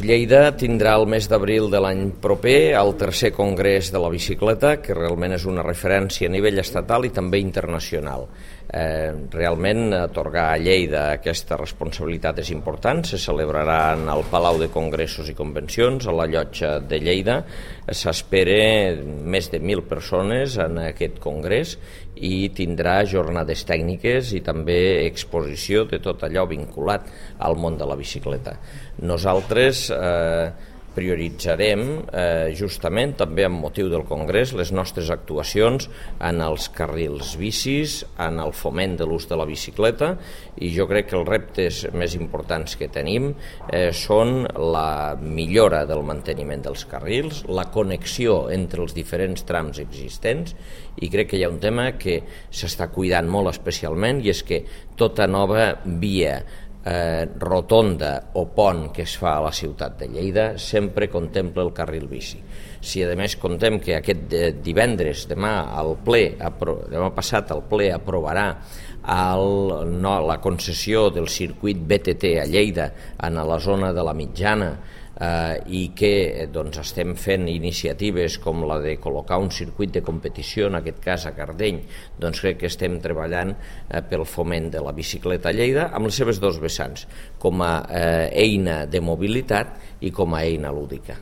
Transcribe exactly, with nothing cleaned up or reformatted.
Lleida tindrà el mes d'abril de l'any proper el tercer congrés de la bicicleta, que realment és una referència a nivell estatal i també internacional. Eh, realment atorgar a Lleida aquesta responsabilitat és important. Se celebrarà en el Palau de Congressos i Convencions, a la Llotja de Lleida. S'espera més de mil persones en aquest congrés i tindrà jornades tècniques i també exposició de tot allò vinculat al món de la bicicleta. Nosaltres eh, prioritzarem eh, justament també amb motiu del congrés les nostres actuacions en els carrils bicis, en el foment de l'ús de la bicicleta, i jo crec que els reptes més importants que tenim eh, són la millora del manteniment dels carrils, la connexió entre els diferents trams existents, i crec que hi ha un tema que s'està cuidant molt especialment, i és que tota nova via Eh, rotonda o pont que es fa a la ciutat de Lleida sempre contempla el carril bici. Si a més contem que aquest divendres, demà al ple, demà passat el ple aprovarà el, no, la concessió del circuit B T T a Lleida en la zona de la Mitjana, eh, i que doncs, estem fent iniciatives com la de col·locar un circuit de competició, en aquest cas a Cardeny, doncs crec que estem treballant eh, pel foment de la bicicleta a Lleida amb les seves dos vessants, com a eh, eina de mobilitat i com a eina lúdica.